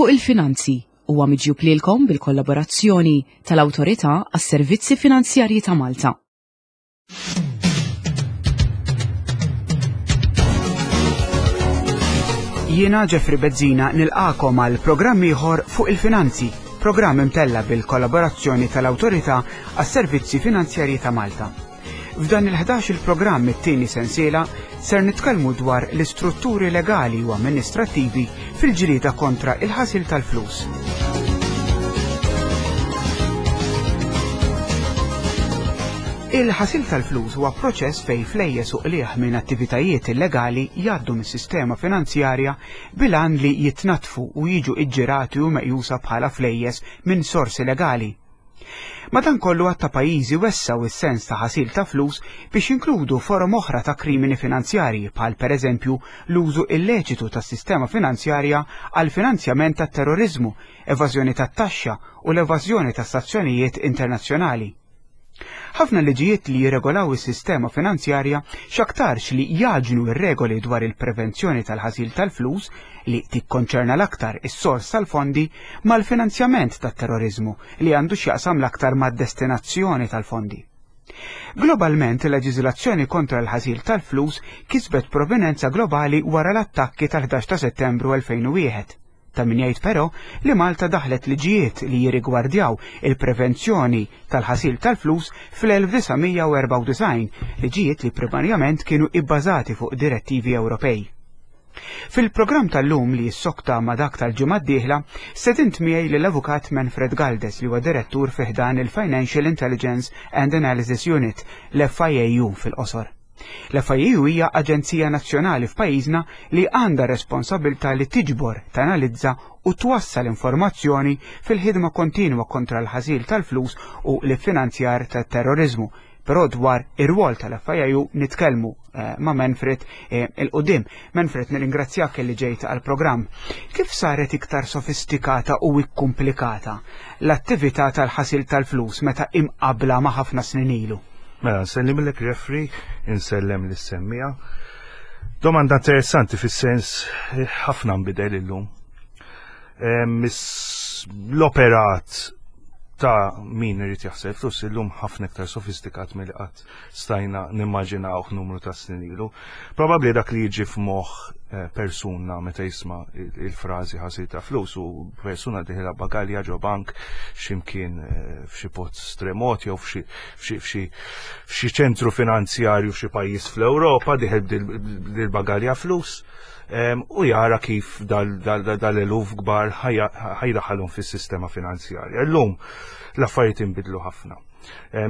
Fuq il-Finanzi huwa miġjub lilkom bil-kollaborazzjoni tal-Awtorità għas-Servizzi Finanzjarji ta' Malta. Jiena Jeffrey Bezzina nilqakom għal programm ieħor fuq il-finanzi, programm imtella bil-kollaborazzjoni tal-Awtorità għas-Servizzi Finanzjarji ta' Malta. F'dan il-11 il-programm it-tieni sensiela ser nitkellmu dwar l-istrutturi legali u amministrattivi fil-ġlieda kontra il-ħasil tal-flus. Il-ħasil tal-flus huwa proċess fejn flejjes u qligħ minn attivitajiet illegali jgħaddu mis-sistema finanzjarja bil-għan li jitnaddfu u jiġu iġġirati u meqjusa bħala flejjes minn sorsi legali. Madankollu għadd ta' pajjiżi wessgħu s-sens ta' ħasil ta' flus biex jinkludu forom oħra ta' krimini finanzjarji bħal pereżempju l-użu illeċitu tas-sistema finanzjarja għall-finanzjament tat-terroriżmu, evażjoni tat-taxxa u l-evażjoni tas-sanzjonijiet internazzjonali. Ħafna liġijiet li jirregolaw is-sistema finanzjarja x'aktarx li jagħġnu r-regoli dwar il-prevenzjoni tal-ħasil tal-flus li tikkonċerna l-aktar is-sors tal-fondi, mal-finanzjament tat-terroriżmu li għandu x'jaqsam l-aktar mad-destinazzjoni tal-fondi. Globalment, il-leġiżlazzjoni kontra l-ħasil tal-flus kisbet prominenza globali wara l-attakki tal-11 ta' Settembru 2001. Ta' min jgħid però li Malta daħlet liġijiet li jirrigwardjaw il-prevenzjoni tal-ħasil tal-flus fl-1994, liġijiet li primarjament kienu ibbażati fuq direttivi Ewropej. Fil-programm tal-lum li jissokta ma' dak tal-ġimgħa d-dieħla, stedint miegħi lill-Avukat Manfred Galdes li huwa direttur fi ħdan il-Financial Intelligence and Analysis Unit, l-FIAU fil-qosor. L-FIAU hija aġenzija nazzjonali f'pajjiżna li għandha r-responsabbiltà li tiġbor, tanalizza u twassal informazzjoni fil-ħidma kontinwa kontra l-ħasil tal-flus u l-iffinanzjar tat-terroriżmu, Però dwar ir-rwol tal-FIU nitkellmu eh, ma' Manfred eh, il-qudiem. Manfred, nirringrazzjak li ġejt għal-programm. Kif saret iktar sofistikata u ikkumplikata l-attività tal-ħasil tal-flus meta imqabla ma' ħafna snin ilu? Mela, nsellimlek refri, insellem lis-semmija. Domanda interessanti fis-sens eh, ħafna nbidel illum. L-operat ta' min irid jaħsel flus illum ħafna iktar sofistikat milli qatt stajna nimmaġinawh numru ta' snin ilu. Probabbli dak li jiġi f'moħħ eh, persuna meta jisma' il-frażi ħasil ta' flus u persuna diħila bagalja ġo bank x'imkien eh, f'xi post remot jew f'xi ċentru finanzjarju f'xi pajjiż fl-Ewropa diħel bil-bagalja flus u jara kif dal-eluf kbar ħajdaħalhom fis-sistema finanzjarja. Illum l-affarijiet inbidlu ħafna.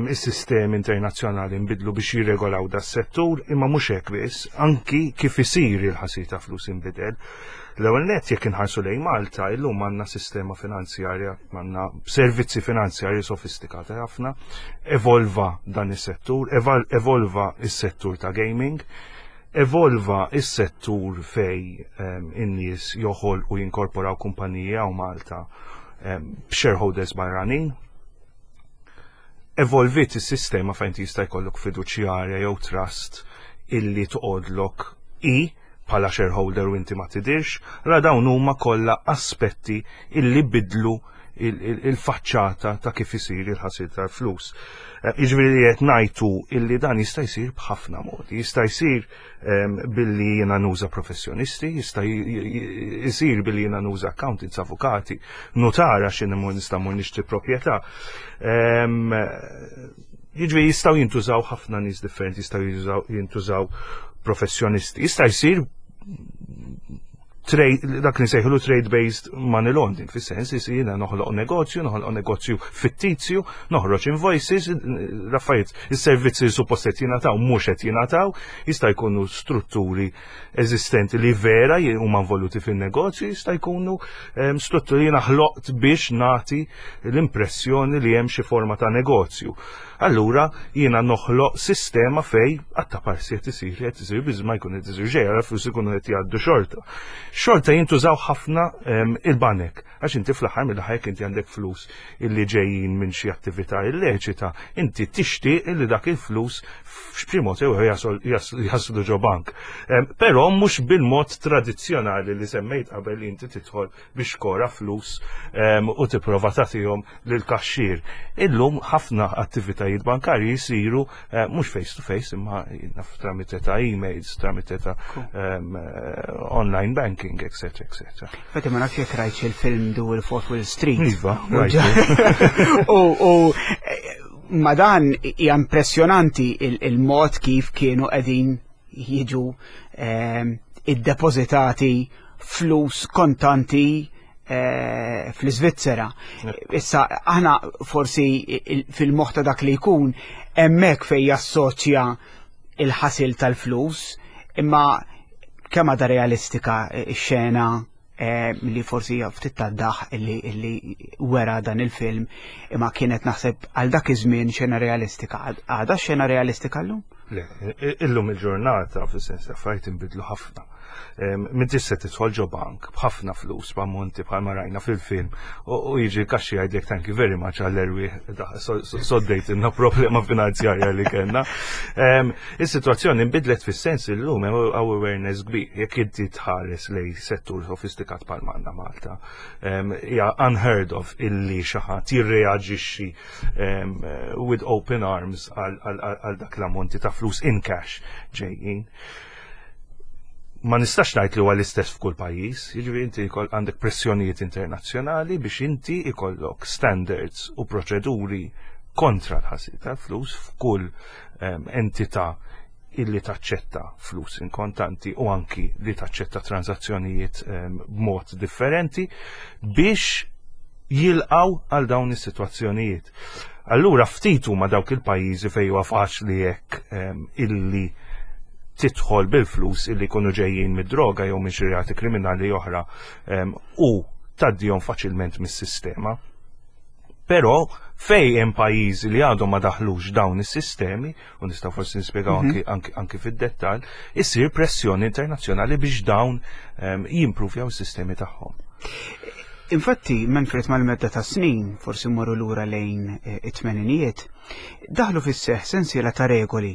Is-sistemi internazzjonali nbidlu biex jirregolaw da settur imma mhux hekk biss, anki kif isir il-ħasil ta' flus inbidel. L-ewwel nett jekk inħarsu lejn Malta, illum għandna sistema finanzjarja, għandna servizzi finanzjarji sofistikati ħafna, evolva dan is-settur, evolva is-settur ta' gaming, Evolva s-settur fejn in-nies joħolqu jinkorporaw kumpaniji hawn Malta b'shareholders barranin. Evolviet is-sistema fejn jista' jkollok fiduċjarja jew trust illi toqgħodlok i bħala shareholder u inti ma tidirx, ra dawn huma kollha aspetti illi bidlu il-faċċata ta' kif isir il-ħasil tal-flus. Eh, jiġifieri li qed ngħidu illi dan jista' jsir b'ħafna modi. Jista' jsir ehm, billi jiena nuża professjonisti, jista' jsir billi jiena nuża accountants, avukati, notara x'inhu mur nista' mur nixtri proprjetà. Ehm, jiġifieri jistgħu jintużaw ħafna nies differenti, jistgħu jintużaw professjonisti. Jista' jsir trade, dak li nsejħulu trade-based money laundering, fis-sens li jiena noħloq negozju, noħloq negozju fittizju, noħroġ invoices, l-affarijiet, is-servizzi li suppost qed jingħataw mhux qed jingħataw, jista' jkunu strutturi eżistenti li vera huma involuti fin-negozju, jista' jkunu ehm, strutturi jiena ħloqt biex nagħti l-impressjoni li hemm xi forma ta' negozju. Allura jiena noħloq sistema fej għatta parsi qed isir qed isir biż ma jkun qed isir xejn, għal flus ikunu qed jgħaddu xorta. Xorta jintużaw ħafna ehm, il-banek. Għax inti fl-aħħar mill-aħħar jekk inti għandek flus illi ġejjin minn xi attività illeċita, inti tixtieq illi dak il-flus f'xi mod jew jaslu ġo bank. Però mhux bil-mod tradizzjonali li semmejt qabel li inti tidħol biex kora flus u tipprova tagħtihom lil kaxxier. Illum ħafna attivitajiet bankarji jsiru eh, mhux face to face imma naf tramite ta' emails, tramite ta' eh, online banking, etc. etc. Fatti ma nafx jekk rajtx il-film The Wolf of Wall Street. Iva, U eh, ma dan hija impressjonanti il-mod kif kienu qegħdin jiġu iddepożitati flus kontanti eh, fl-Iżvizzera. Issa aħna forsi fil-moħħ ta' dak li jkun hemmhekk fejn jassoċja il-ħasil tal-flus, imma kemm għadha realistika x-xena eh, li forsi hija ftit tad-daħ li wera dan il-film imma kienet naħseb għal dak iż-żmien xena realistika. Għadha xena realistika llum? Le, illum il-ġurnata fis-sens affarijiet inbidlu ħafna. M'intix se tidħol ġo bank b'ħafna flus b'ammonti bħalma rajna fil-film u jiġi kaxxi jgħidlek thank you very much għall-erwieħ soddejt inna problema finanzjarja li kellna. Is-sitwazzjoni nbidlet fis-sens illum hemm awareness kbir jekk inti tħares lej settur sofistikat bħal manna Malta. Hija unheard of illi xi ħadd jirreaġixxi with open arms għal dak l-ammonti ta' flus in cash ġejjin. Ma nistax ngħid li huwa l-istess f'kull pajjiż, jiġifieri inti għandek pressjonijiet internazzjonali biex inti ikollok standards u proċeduri kontra l-ħasil tal-flus f'kull entità illi taċċetta flus in kontanti u anki li taċċetta transazzjonijiet b'mod differenti biex jilqaw għal dawn is-sitwazzjonijiet. Allura ftit huma dawk il-pajjiżi fejn huwa faċli hekk illi tidħol bil-flus illi jkunu ġejjin mid-droga jew minn xi reati kriminali oħra u tgħaddihom faċilment mis-sistema. Però fej hemm pajjiżi li għadhom ma daħlux dawn is-sistemi, u nistgħu forsi nispjegaw anki, anki, anki fid-dettall, isir pressjoni internazzjonali biex dawn jimpruvjaw is-sistemi tagħhom. Infatti, Manfred mal-medda ta' snin, forsi morru lura lejn eh, it-tmeninijiet, daħlu fis-seħ sensiela ta' regoli,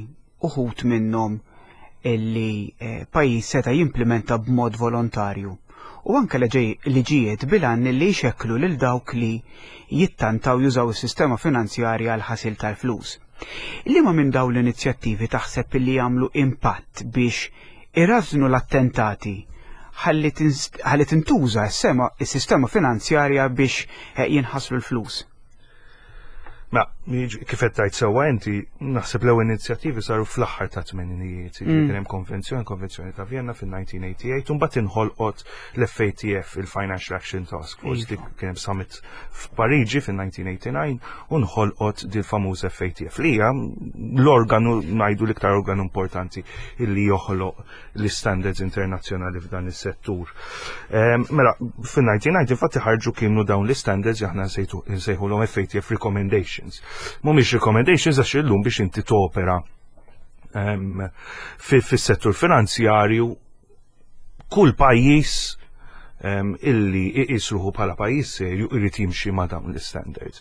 uħut minnhom illi eh, pajjiż seta' jimplementa b'mod volontarju u anke liġijiet bilan li jxekklu lil dawk li jittantaw jużaw is-sistema finanzjarja għal ħasil tal-flus. Liema minn dawn l-inizjattivi taħseb li jagħmlu impatt biex irażżnu l-attentati ħalli tintuża s-sistema finanzjarja biex eh, jinħaslu l-flus? Ma, kif qed tgħid sewwa inti, naħseb l-ewwel inizjattivi saru fl-aħħar ta' tmeninijiet, mm. kien hemm konvenzjoni, konvenzjoni ta' Vienna fil-1988, u mbagħad inħolqot l-FATF, il-Financial Action Task Force, dik iva. kien hemm summit f'Pariġi fil-1989 u nħolqot dil famuż FATF li hija l-organu ngħidu l-iktar organu importanti illi joħloq l-standards internazzjonali f'dan is-settur. Ehm, mela, fil-1990 infatti ħarġu kienu dawn l-standards aħna nsejħulhom FATF recommendations. Mhumiex recommendations għax illum biex inti topera ehm, fis-settur finanzjarju kull pajjiż illi iqis ruħu bħala pajjiż serju jrid jimxi ma' dawn l-standards.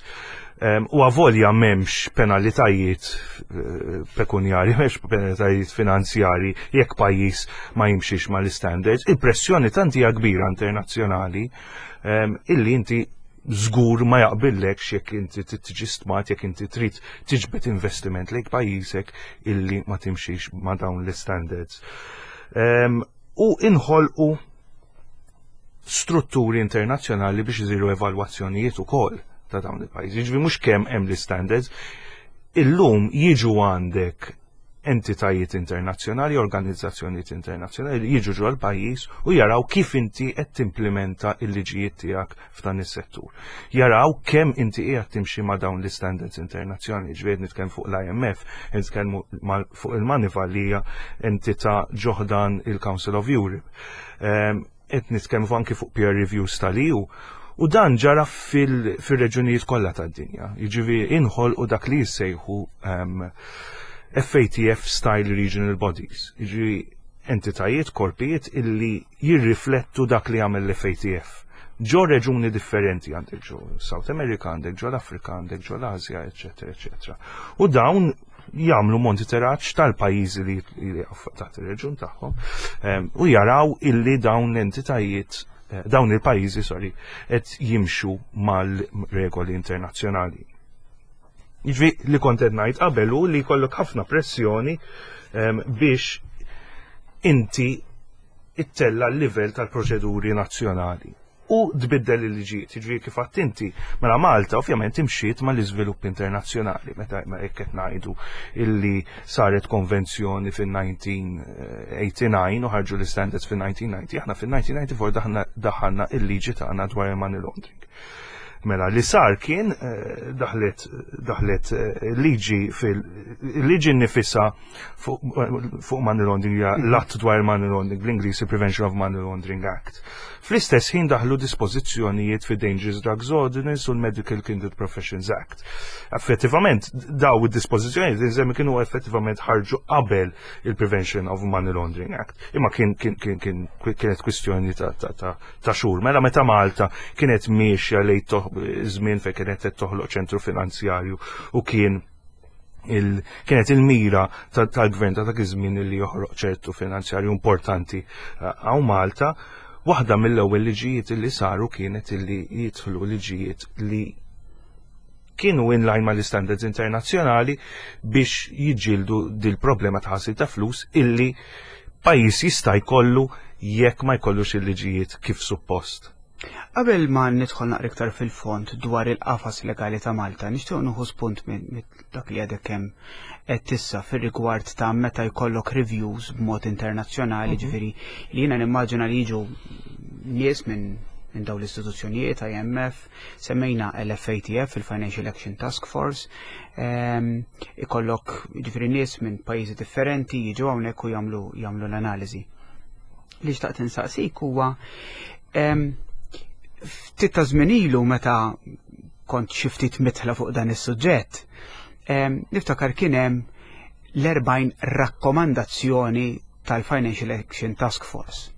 U avolja m'hemmx penalitajiet eh, pekunjari, m'hemmx penalitajiet finanzjari jekk pajjiż ma jimxiex ma l-standards, il-pressjoni tant hija kbira internazzjonali illi inti żgur ma jaqbillekx jekk inti tiġi stmat jekk inti trid tiġbed investiment lejk pajjiżek illi ma timxix ma dawn l-standards. U inħolqu strutturi internazzjonali biex isiru evalwazzjonijiet ukoll ta' dawn il-pajjiżi. Ġifieri mhux kemm hemm l-standards, illum jiġu għandek entitajiet internazzjonali, organizzazzjonijiet internazzjonali li jiġu ġol pajjiż u jaraw kif inti qed timplementa l-liġijiet tiegħek f'dan is-settur. Jaraw kemm inti qiegħed timxi ma' dawn l-istandards internazzjonali, ġifieri nitkellem fuq l-IMF, nitkellmu fuq il-Manival li hija entità ġoħdan il-Council of Europe. Ehm, qed nitkellmu anki fuq peer reviews tal-EU, u dan ġara fil-reġunijiet kollha tad-dinja. Jiġifieri inħolqu dak li jissejħu FATF ehm, style regional bodies. Jiġifieri entitajiet, korpijiet illi jirriflettu dak li għamel l-FATF. Ġo reġuni differenti għandek ġo South America, għandek ġo l-Afrika, għandek ġo l-Asja, eccetera, eccetera. U dawn jagħmlu monitoraġġ tal-pajjiżi li taħt ir-reġun tagħhom u jaraw illi dawn l-entitajiet eh, dawn il-pajjiżi sorry qed jimxu mal-regoli internazzjonali. Jiġri li kont qed ngħid qabel hu li jkollok ħafna pressjoni biex inti ittella l-livell tal-proċeduri nazzjonali u tbiddel il-liġijiet, jiġifieri kif għadt inti, mela Malta ovvjament imxiet mal-iżvilupp internazzjonali, meta hekk qed ngħidu illi saret konvenzjoni fin-1989 u ħarġu l-standards fin-1990, aħna fin-1994 daħħalna il-liġi tagħna dwar il-money laundering. Mela li sar kien eh, daħlet daħlet eh, liġi fil-liġi nifisa fuq money laundering hija mhm. l-att dwar money laundering bl-Ingliż Prevention of Money Laundering Act. Fl-istess ħin daħlu dispożizzjonijiet fi Dangerous Drugs Ordinance u l-Medical Kindred Professions Act. Effettivament, daw id-dispożizzjonijiet inżemmi kienu effettivament ħarġu qabel il-Prevention of Money Laundering Act. Imma kien kien kienet kwistjoni ta' ta' xhur. Mela meta Malta kienet miexja lejn żmien fejn kienet qed toħloq ċentru finanzjarju u kien il, kienet il-mira tal-gvern ta' dak iż-żmien li joħroq ċertu finanzjarju importanti eh, hawn Malta, waħda mill-ewwel liġijiet li saru kienet illi jidħlu liġijiet li kienu in line mal-standards internazzjonali biex jiġġieldu dil-problema ta' ħasil ta' flus illi pajjiż jista' jkollu jekk ma jkollux il-liġijiet kif suppost. Qabel ma nidħol naqra iktar fil-fond dwar il-qafas legali ta' Malta, nixtieq nieħu spunt minn dak li għadek kemm qed tissa fir-rigward ta' meta jkollok reviews b'mod internazzjonali, mhm. ġifieri li jiena nimmaġina li jiġu nies minn minn dawn l-istituzzjonijiet, IMF, Semmejna l-FATF, il-Financial Action Task Force, ehm, ikollok ġifri nies minn pajjiżi differenti jiġu hawnhekk u jagħmlu jagħmlu l-analiżi. Li xtaqt insaqsik huwa ehm, ftit ta' żmien ilu meta kont xi ftit mitħla fuq dan is-suġġett, ehm, niftakar kien hemm l-40 rakkomandazzjoni tal-Financial Action Task Force.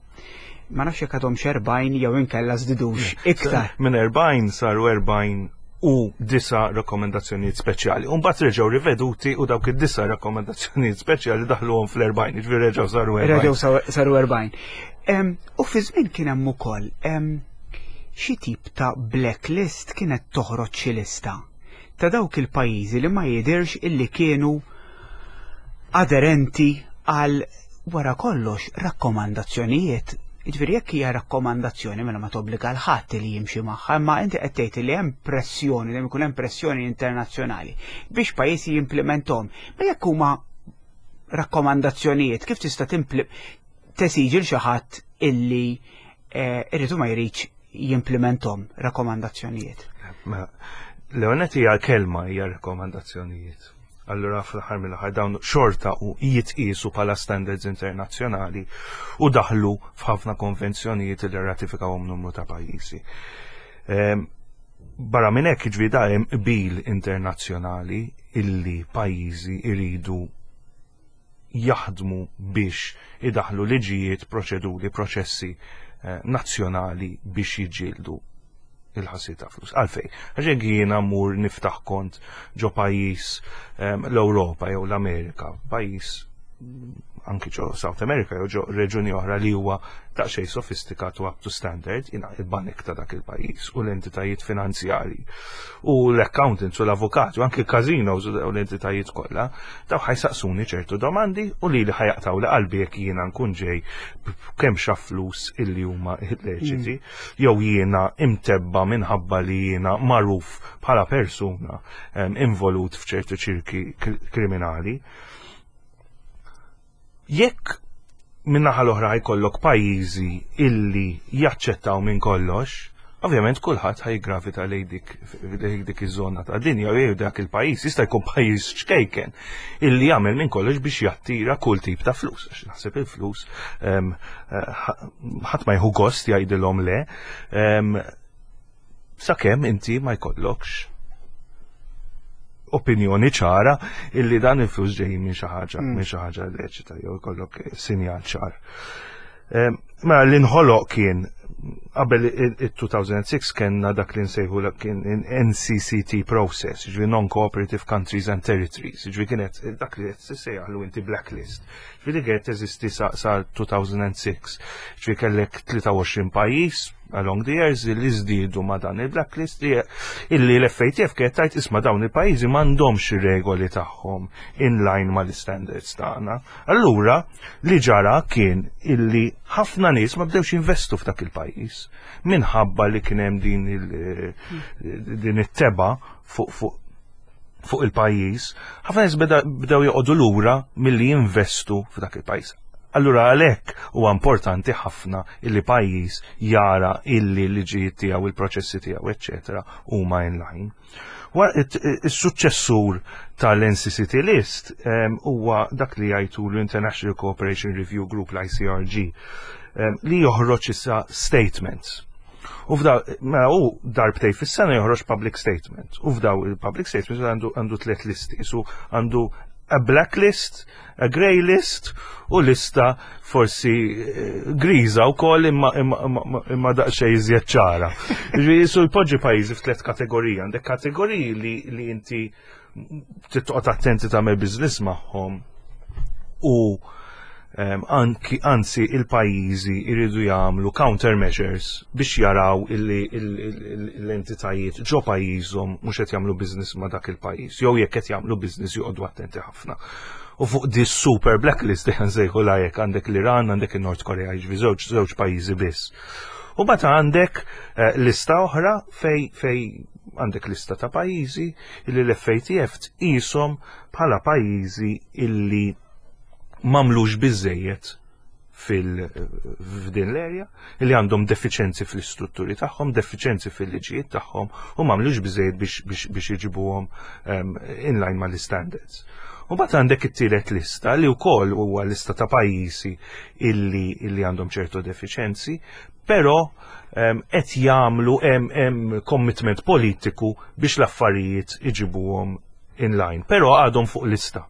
Ma nafx jekk għadhom 40 jew inkella żdidux iktar. Minn 40 saru 40 u disa rakkomandazzjonijiet speċjali. U mbagħad reġgħu riveduti u dawk id-disa rakkomandazzjonijiet speċjali daħluhom fl-40, jiġifieri reġgħu saru 40. Reġgħu saru 40. U fi żmien kien hemm ukoll xi tip ta' blacklist kienet toħroġ xi lista ta' dawk il-pajjiżi li ma jidhirx illi kienu aderenti għal wara kollox rakkomandazzjonijiet. Jiġifieri jekk hija rakkomandazzjoni mela ma tobbliga l ħadd li jimxi magħha, imma inti qed tgħid li hemm pressjoni, dejjem ikun hemm pressjoni internazzjonali biex pajjiżi jimplementhom. Ma jekk huma rakkomandazzjonijiet, kif tista' tesiġi l xi ħadd illi eh, irridu ma jridx jimplementhom rakkomandazzjonijiet? L-ewwel hija kelma hija rakkomandazzjonijiet. Allura fl-aħħar mill-aħħar dawn xorta u jitqiesu bħala standards internazzjonali u daħlu f'ħafna konvenzjonijiet li rratifikawhom numru ta' pajjiżi. Ehm, barra minn hekk jiġri da hemm qbil internazzjonali illi pajjiżi iridu jaħdmu biex idaħlu liġijiet, proċeduri, proċessi eh, nazzjonali biex jiġġieldu il-ħasil ta' flus. Għalfej, għax jekk jiena mmur niftaħ kont ġo pajjiż ehm, l-Ewropa jew l-Amerika, pajjiż anki ġo South America jew ġo reġuni oħra li huwa daqsxejn sofistikat u up to standard, jina il-banek ta' dak il-pajjiż u l-entitajiet finanzjari u l-accountants u l-avukati u anki l-casinos u l-entitajiet kollha, daw ħajsaqsuni ċertu domandi u li li ħajaqtaw li qalbi jekk jiena nkun ġej kemm xa flus illi huma illeċiti, mm. jew jiena imtebba minħabba li jiena magħruf bħala persuna involut f'ċertu ċirki kriminali. Jekk min-naħa l-oħra jkollok pajjiżi illi jaċċettaw minn kollox, ovvjament kulħadd ħaj gravita lejn dik dik iż-żona ta' dinja jew dak il-pajjiż jista' jkun pajjiż ċkejken illi jagħmel minn kollox biex jattira kull tip ta' flus. Għax naħseb il-flus ehm, eh, ħadd ma jieħu gost jgħidilhom le. Ehm, sakemm inti ma jkollokx opinjoni ċara illi dan il-flus ġejjin minn xi ħaġa mm. minn xi ħaġa leċita jew ikollok sinjal ċar. Ehm, mela li nħoloq kien Qabel il-2006 kellna dak li nsejħu kien NCCT process, ġifieri Non-Cooperative Countries and Territories, ġifieri kienet dak li qed sejjaħlu inti blacklist. Ġifieri kienet teżisti sa 2006. Ġifieri kellek 23 pajjiż along the years li żdiedu ma' dan il-blacklist li illi l-FATF kienet tajt isma' dawn il-pajjiżi m'għandhomx ir-regoli tagħhom in line mal-standards tagħna. Allura li ġara kien illi ħafna nies ma bdewx jinvestu f'dak il-pajjiż minħabba li kien hemm din din it-teba fuq fuq fuq il-pajjiż, ħafna nies bdew joqogħdu lura milli jinvestu f'dak il-pajjiż. Allura għalhekk huwa importanti ħafna illi pajjiż jara illi l-liġijiet tiegħu, il-proċessi tiegħu, eċċetera, huma in line. Is-suċċessur tal-NCCT list huwa dak li jgħidu l-International Cooperation Review Group, l-ICRG, li joħroġ issa statements. U f'da, mela u darbtej fis-sena joħroġ public statement. U f'daw il-public statements għandu tliet listi. Su għandu a blacklist, a grey list u lista forsi griża wkoll imma imma imma daqsxejn iżjed ċara. Ġifieri su jpoġġi pajjiżi f'tliet kategoriji. Għandek kategoriji li, li inti titqgħod attenti tagħmel business magħhom u anki anzi il-pajjiżi jridu jagħmlu countermeasures biex jaraw illi l-entitajiet ġo pajjiżhom mhux qed jagħmlu business ma' dak il-pajjiż jew jekk qed jagħmlu business joqogħdu attenti ħafna. U fuq di super blacklist li nsejħu lajek għandek l-Iran, għandek il-Nord Korea, jiġifieri żewġ pajjiżi biss. U bat għandek lista oħra fej fej għandek lista ta' pajjiżi illi l-FATF tqishom bħala pajjiżi illi m'għamlux biżejjed f'din l-area, illi għandhom defiċenzi fl-istrutturi tagħhom, defiċenzi fil-liġijiet tagħhom u m'għamlux biżejjed biex iġibuhom in line mal-standards. U bat għandek it-tielet lista li wkoll huwa lista ta' pajjiżi illi għandhom ċertu defiċenzi, però qed jagħmlu hemm commitment politiku biex l-affarijiet iġibuhom in line, però għadhom fuq lista.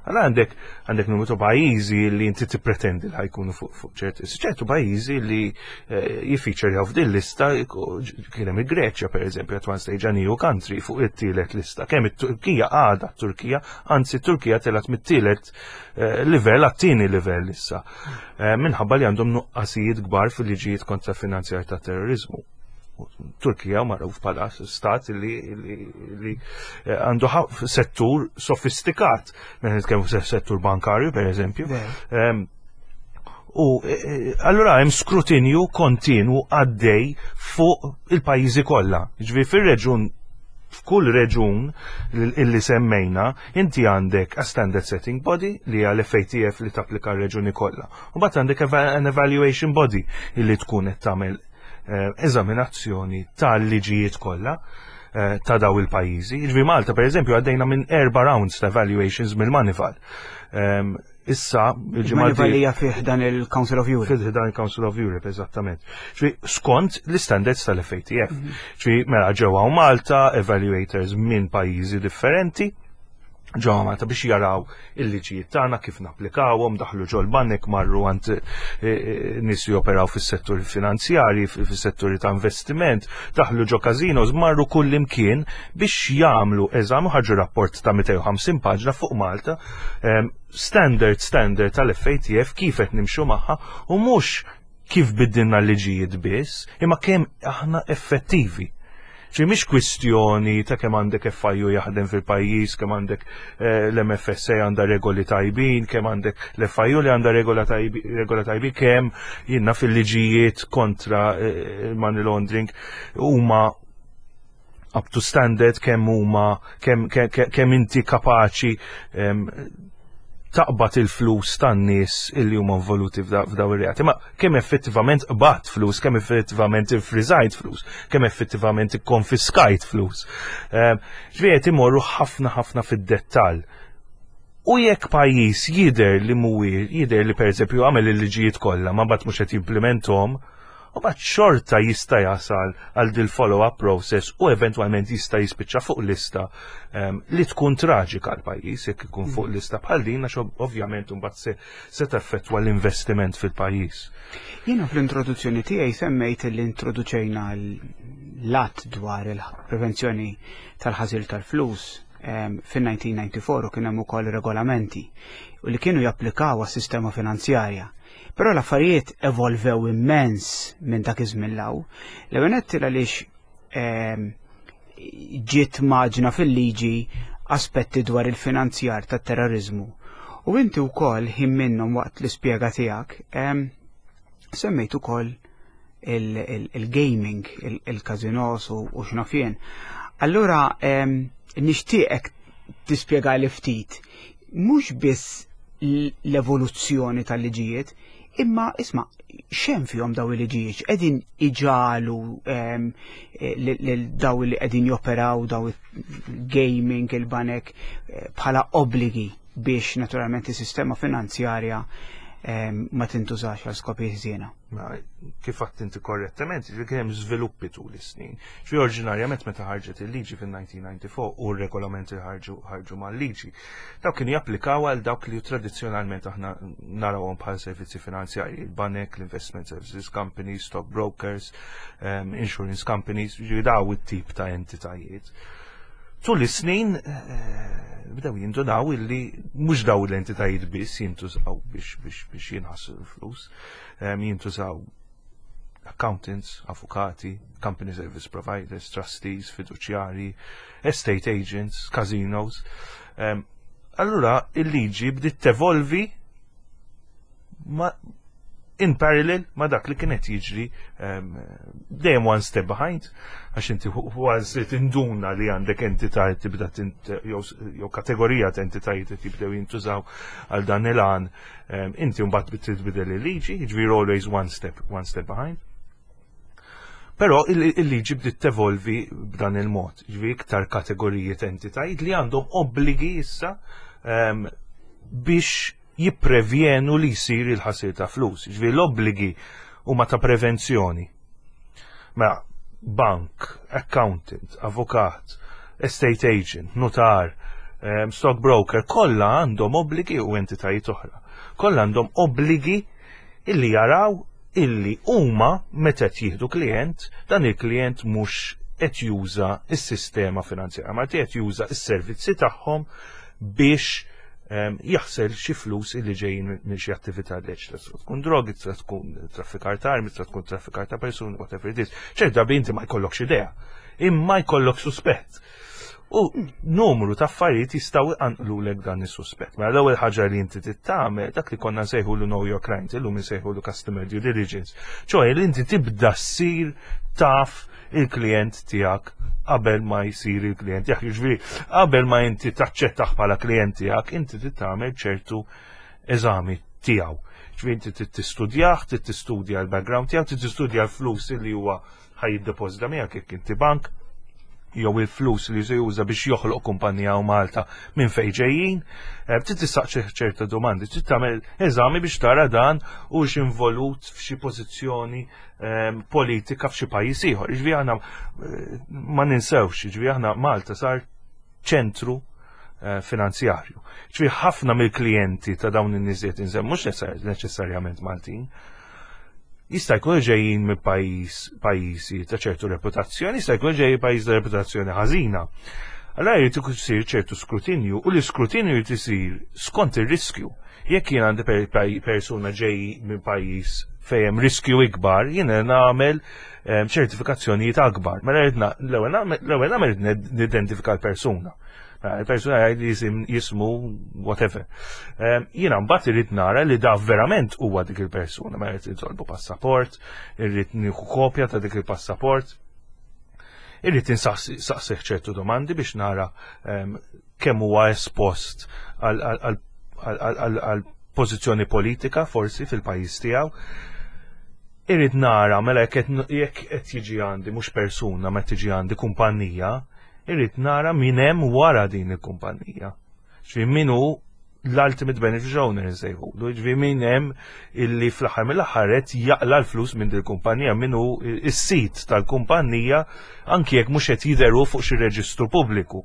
Għala għandek numru ta' pajjiżi li inti tippretendi li ħajkunu fuq ċerti ċertu pajjiżi li jiffeaturjaw f'din lista, kien hemm il-Greċja pereżempju at one stage an EU country fuq it-tielet lista. Kemm it-Turkija għadha t-Turkija, anzi t-Turkija telgħet mit-tielet livell għat-tieni livell issa. Minħabba li għandhom nuqqasijiet kbar fil-liġijiet kontra finanzjar ta' terrorizmu. Turkija magħruf bħala stat li għandu settur sofistikat, meta nitkellmu settur bankarju per eżempju. U allura hemm skrutinju kontinu għaddej fuq il-pajjiżi kollha. Ġifieri fir-reġun f'kull reġun illi semmejna, inti għandek a standard setting body li hija l-FATF li tapplika r-reġuni kollha. U mbagħad għandek an evaluation body illi tkun qed tagħmel eżaminazzjoni tal-liġijiet kollha ta' daw il-pajjiżi. Ġifieri Malta pereżempju għaddejna minn erba' rounds ta' evaluations mill-Moneyval. Issa il-ġimgħa Moneyval hija fih dan il-Council of Europe. Fih dan il-Council of Europe, eżattament. Ġifieri skont l-standards tal-FATF. Ġifieri mela ġewwa Malta evaluators minn pajjiżi differenti ġewwa Malta biex jaraw il-liġijiet tagħna kif napplikawhom, daħlu ġol-banek, marru għand nies joperaw fis-settur finanzjari, fis-setturi ta' investiment, daħlu ġo casinos, marru kull imkien biex jagħmlu eżami, ħarġu rapport ta' 250 paġna fuq Malta, standard tal-FATF kif qed nimxu magħha u mhux kif biddilna l-liġijiet biss, imma kemm aħna effettivi. Ġi mhix kwistjoni ta' kemm għandek FIU jaħdem fil-pajjiż, kemm għandek l-MFSA għandha regoli tajbin, kemm għandek l-FIU li għandha regola tajbin, kemm jinnna fil-liġijiet kontra money laundering huma up to standard, kemm huma kemm inti kapaċi taqbad il-flus tan-nies illi huma involuti f'daw ir-reati. Ma kemm effettivament qbadt flus, kemm effettivament infriżajt flus, kemm effettivament ikkonfiskajt flus. Ġifieri qed imorru ħafna ħafna fid-dettall. U jekk pajjiż jidher li mhuwiex, jidher li pereżempju għamel il-liġijiet kollha, ma mbagħad mhux qed jimplementhom, U mbagħad xorta jista' jasal għal dil follow-up process u eventwalment jista' jispiċċa fuq lista li tkun traġika għal pajjiż jekk ikun fuq lista bħal din għax ovvjament imbagħad se teffettwa l-investiment fil-pajjiż. Jiena fl-introduzzjoni tiegħi semmejt li introduċejna l-att dwar il-prevenzjoni tal-ħasil tal-flus fin-1994 u kien hemm ukoll regolamenti u li kienu japplikaw għas-sistema finanzjarja. Però l-affarijiet evolvew immens minn dak iż-żmien 'l hawn. L-ewwel nett għaliex ġiet maġna fil-liġi aspetti dwar il-finanzjar tat-terrorizmu. U inti wkoll ħin minnhom waqt l-ispjega tiegħek semmejt ukoll il-gaming, il-casinos u x'naf jien. Allura nixtieqek tispjega li ftit mhux biss l-evoluzzjoni tal-liġijiet, imma isma' x'hemm fihom daw il-liġijiet, qegħdin iġalu lil daw li qegħdin joperaw daw gaming il-banek bħala obbligi biex naturalment is-sistema finanzjarja ma tintużax għal skopi ħżiena. Kif għedt inti korrettament, ġifieri kien hemm żviluppi tul is-snin. Ġifieri oriġinarjament meta ħarġet il-liġi fil-1994 u r-regolamenti ħarġu mal-liġi, dawk kienu japplikaw għal dawk li tradizzjonalment aħna narawhom bħal servizzi finanzjarji, il-banek, l-investment services companies, stock brokers, insurance companies, ġifieri daw it-tip ta' entitajiet. Tul is-snin bdew jindunaw illi mhux daw l-entitajiet biss jintużaw biex jinħaslu l-flus, jintużaw accountants, avukati, company service providers, trustees, fiduċjari, estate agents, casinos. Allura il-liġi bdiet tevolvi ma in parallel ma dak li kienet jiġri, dejjem one step behind, għax inti once tinduna li għandek entità tibda jew kategorija ta' entitajiet li tibdew jintużaw għal dan il-għan, inti mbagħad tibdel il-liġi, jiġifieri always one step behind. Però il-liġi bdiet tevolvi b'dan il-mod, ġifieri iktar kategoriji ta' entitajiet li għandhom obbligi issa biex jipprevjenu li jsir il-ħasil ta' flus. Ġifieri l-obbligi huma ta' prevenzjoni. Ma bank, accountant, avukat, estate agent, notar, stockbroker, kollha għandhom obbligi u entitajiet oħra. Kollha għandhom obbligi illi jaraw illi huma meta qed jieħdu klient, dan il-klient mhux qed juża s-sistema finanzjarja, ma qed juża s-servizzi tagħhom biex jaħsel xi flus illi ġejjin minn xi attività illeċita. Tista' tkun drogi, tista' tkun traffikar ta' armi, tista' tkun traffikar ta' persuni, whatever it is. ċerta drabi inti ma jkollokx idea, imma jkollok suspett. U numru ta' affarijiet jistgħu jqanqlulek dan is-suspett. Mela l-ewwel ħaġa li inti tagħmel dak li konna nsejħulu know your client, illum insejħulu customer due diligence. ċoè li inti tibda ssir taf il-klient tiegħek qabel ma jsir il-klient tiegħek. Jiġifieri qabel ma inti taċċettah bħala klient tiegħek, inti trid tagħmel ċertu eżami tiegħu. Ġifieri inti trid tistudjah, trid tistudja l-background tiegħu, trid tistudja l-flus li huwa ħa jiddepożita miegħek jekk inti bank, jew il-flus li se juża biex joħloq kumpanija u Malta minn fejn ġejjin, trid tistaqsi ċerta domandi, trid tagħmel eżami biex tara dan u involut f'xi pożizzjoni politika f'xi pajjiż ieħor. Jiġifieri aħna ma ninsewx, jiġifieri aħna Malta sar ċentru finanzjarju. Ġifieri ħafna mill-klijenti ta' dawn in-nies insemmu mhux neċessarjament Maltin. Jista' jkun ġejjin minn pajjiżi ta' ċertu reputazzjoni, jista' jkun ġejjin pajjiż ta' reputazzjoni ħażina. Allora jrid isir ċertu skrutinju u l-iskrutinju jrid isir skont ir-riskju. Jekk jien għandi persuna ġej minn pajjiż fejn hemm riskju ikbar, jien nagħmel ċertifikazzjonijiet akbar. Mela l-ewwel nagħmel nidentifika l-persuna. Mela, il-persuna jgħid li jismu whatever. Jiena mbagħad irrid nara li da verament huwa dik il-persuna, mela irrid nitolbu passaport, irrid nieħu kopja ta' dik il-passaport. Irrid insaqsih ċertu domandi biex nara kemm huwa espost għal pożizzjoni politika forsi fil-pajjiż tiegħu. Irrid nara mela jekk qed jiġi għandi mhux persuna ma tiġi għandi kumpanija, irrid nara min hemm wara din il-kumpanija. Ġifieri min hu. l-ultimate beneficial owner nsejħulu, ġifieri min hemm illi fl-aħħar mill-aħħar qed jaqla l-flus minn dil-kumpanija min hu s-sid tal-kumpanija anki jekk mhux qed jidheru fuq xi reġistru pubbliku.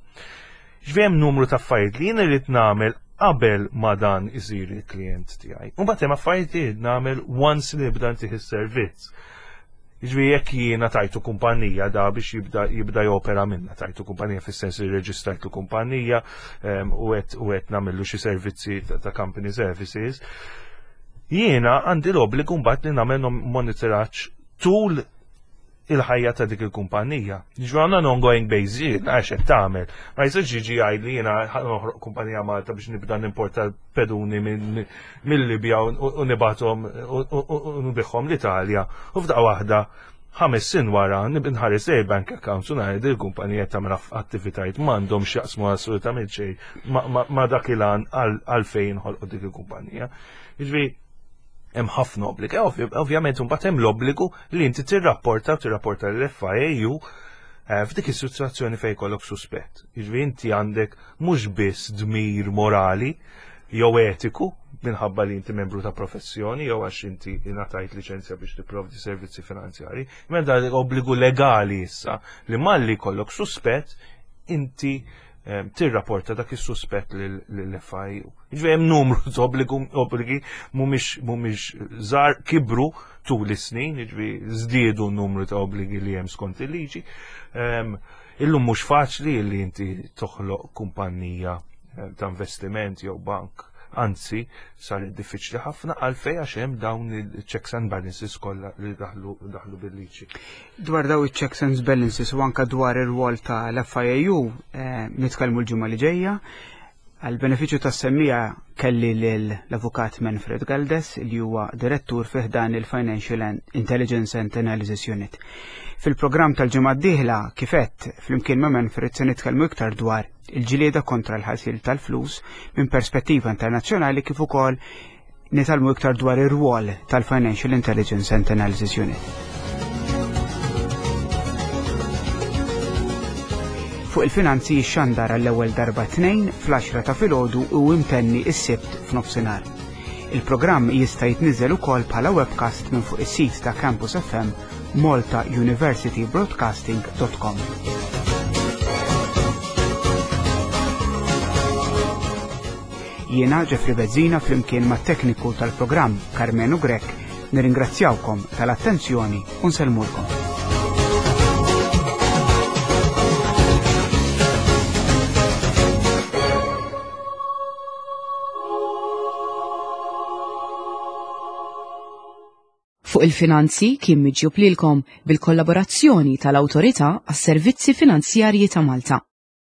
Ġifieri hemm numru ta' affarijiet li jien irid nagħmel qabel ma dan isir il-klient tiegħi. U mbagħad hemm affarijiet li jrid nagħmel once li nibda ntih is-servizz. Jiġifieri jekk jiena tajtu kumpanija da biex jibda jibda jopera minna, tajtu kumpanija fis-sens li reġistrajtu kumpanija u qed u qed nagħmillu xi servizzi ta' company services, jiena għandi l-obbligu mbagħad li nagħmel monitoraġġ tul il-ħajja ta' dik il-kumpanija. Ġifieri għandna on ongoing basis, jiena għax qed tagħmel. Ma jistax jiġi jgħid li jiena noħroq kumpanija Malta biex nibda nimporta peduni mill-Libja u nibathom u nbiħhom l-Italja u f'daqqa waħda ħames sin wara nħares lej bank accounts u ngħid il-kumpanija tagħmel attivitajiet m'għandhom x'jaqsmu assolutament xejn ma' dak il-għan għalfejn ħolqu dik il-kumpanija. Jiġifieri hemm ħafna obbligi. Ovvjament imbagħad hemm l-obbligu li inti tirrapporta u tirrapporta lill-FIAU eh, f'dik is-sitwazzjoni fejn jkollok suspett. Jiġifieri inti għandek mhux biss dmir morali jew etiku minħabba li inti membru ta' professjoni jew għax inti ingħatajt liċenzja biex tipprovdi servizzi finanzjari, imma dan obbligu legali issa li malli jkollok suspett inti ehm, tirrapporta dak is-suspett lill-FIU. Ġifieri hemm numru ta' obbligi mhumiex mhumiex żgħar kibru tul is-snin, jiġifieri żdiedu n-numru ta' obbligi li hemm skont il-liġi. Ehm, Illum mhux faċli li inti toħloq kumpanija eh, ta' investiment jew bank. Anzi, saret diffiċli ħafna għalfej għax hemm dawn il-checks and balances kollha li daħlu daħlu bil-liġi. Dwar daw il-checks and balances u anka dwar ir-rwol tal-FIAU eh, nitkellmu l-ġimgħa li ġejja. Għall-benefiċċju tas-semmiegħa kelli lill-Avukat Manfred Galdes li huwa Direttur fi ħdan il-Financial Intelligence and Analysis Unit. Fil-programm tal-ġimgħa d-dieħla, kif għedt, flimkien ma' Manfred se nitkellmu iktar dwar il-ġlieda kontra l-ħasil tal-flus minn perspettiva internazzjonali kif ukoll Nitgħallmu iktar dwar ir-rwol tal-Financial Intelligence and Analysis Unit. Fuq il-finanzi jixxandar għall-ewwel darba tnejn fl-10 ta' filgħodu u imtenni s-Sibt f'nofsinhar. Il-programm jista' jitniżel ukoll bħala webcast minn fuq is-sit ta' Campus FM maltauniversitybroadcasting.com. Jiena Jeffrey Bezzina flimkien mat-tekniku tal-programm Karmenu Grech nirringrazzjawkom tal-attenzjoni u nsellmulkom. Fuq il-Finanzi kien miġjub lilkom bil-kollaborazzjoni tal-Awtorità għas-Servizzi Finanzjarji ta' Malta.